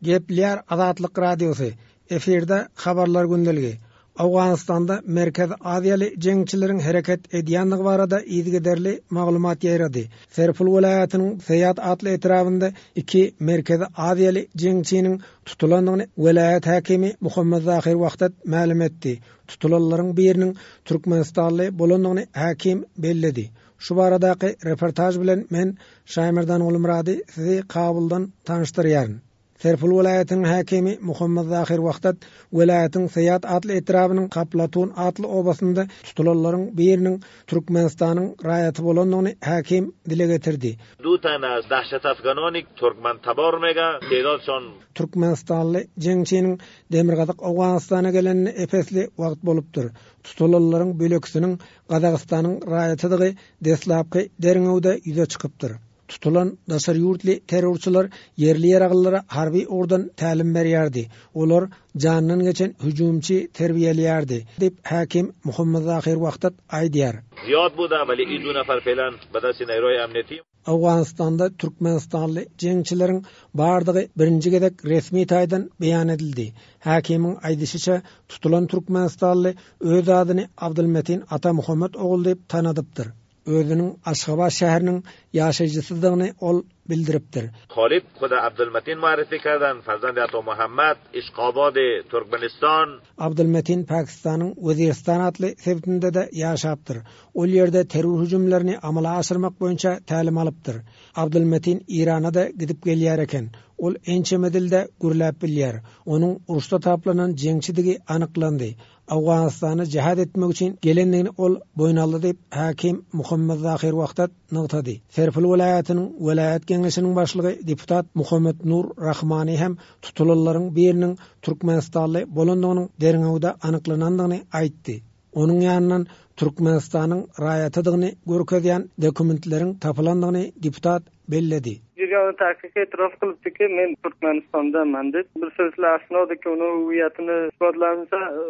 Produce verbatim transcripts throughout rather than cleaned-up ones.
Gepleýär Azatlyk Radiosy. Efirde habarlar gündeligi. Owganystanda Merkezi Aziýaly jeňçileriň hereket edýändigi barada yzygiderli maglumat ýaýrady. Serpil welaýatynyň Seýat atly etrabynda iki Merkezi Aziýaly jeňçiniň tutulandygyny welaýat häkimi Muhammet Zahir Wahdat mälim etdi. Tutulanlaryň biriniň Türkmenistanly bolandygyny häkim belledi. Şu baradaky reportaž bilen men Şaýmerdan Gulmyrady sizi Kabuldan tanyşdyrýaryn. Serpil welaýatynyň häkimi Muhammet Zahir Wahdat welaýatyň Seýat atly etrabynyň Kaplatun atly obasynda tutulanlaryň biriniň Türkmenistanyň raýaty bolandygyny häkim dile getirdi. دو تن از دهشت افغانانی ترکمن تبار میگه تعدادشان Türkmenistanly jeňçiniň Demirgazyk Owganystana gelenine epesli wagt bolupdyr. Tutulanlaryň bölekisiniň Gazagystanyň raýatydygy deslapky derňewde ýüze çykypdyr. Tutulan daşary ýurtly terrorçylar ýerli ýaraglylara harby ugurdan tälim berýärdi. Olar jandan geçen hüjümçi terbiýeleýärdi diýip häkim Muhammet Zahir Wahdat aýdýar. زیاد بوده ولی این دو نفر فعلا به دست نیروهای امنیتی Owganystanda Türkmenistanly jeňçileriň bardygy birinji gezek resmi taýdan beýan edildi. Häkimiň aýdyşyça tutulan Türkmenistanly öz adyny Abdulmetin Ata Muhammet ogul diýip tanadypdyr. Özüniň Aşgabat şäheriniň ýaşaýjysydygyny ol bildiripdir. خالد خود عبدالمتین معرفی کردن فرزند عطا محمد اشقاباد ترکمنستان Abdulmetin Pakistanyň Weziristan atly sebitinde de ýaşapdyr. Ol ýerde terror hüjümlerini amala aşyrmak boýunça tälim alypdyr. Abdulmetin Irana da gidip gelýär eken. Ol ençeme dilde gürläp bilýär. Onuň uruşda taplanan jeňçidigi anyklandy. Owganystana jihad etmek üçin gelendigini ol boýun aldy diýip häkim Muhammet Zahir Wahdat nygtady. Serpil welaýatynyň welaýat geňeşiniň başlygy deputat Muhammet Nur Rahmani hem tutulanlaryň biriniň Türkmenistanly bolandygynyň derňewde anyklanandygyny aýtdy. Onuň ýanyndan Türkmenistanyň raýatydygyny görkezýän dokumentleriň tapylandygyny deputat belledi. Girgan tahqiq e'tirof qilibdiki, men Turkmanistondanman deb. Bir silsila asnodiki uni huviyatini isbotlansa e,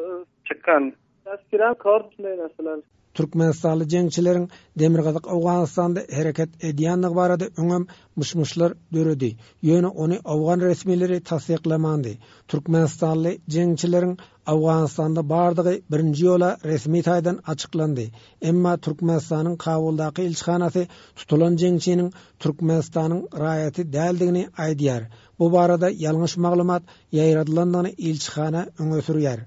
chiqqan. Tazkira kort shunday narsalar. Türkmenistanly jeňçileriň Demirgazyk Owganystanda hereket edýändigi barada öňem myş-myşlar döredi. Ýöne ony Owgan resmileri tassyklamandy. Türkmenistanly jeňçileriň Owganystanda bardygy birinji ýola resmi taýdan açyklandy. Emma Türkmenistanyň Kabuldaky ilçihanasy tutulan jeňçiniň Türkmenistanyň raýaty däldigini aýdýar. Bu barada ýalňyş maglumat ýaýradylandygyny ilçihana öňe sürýär.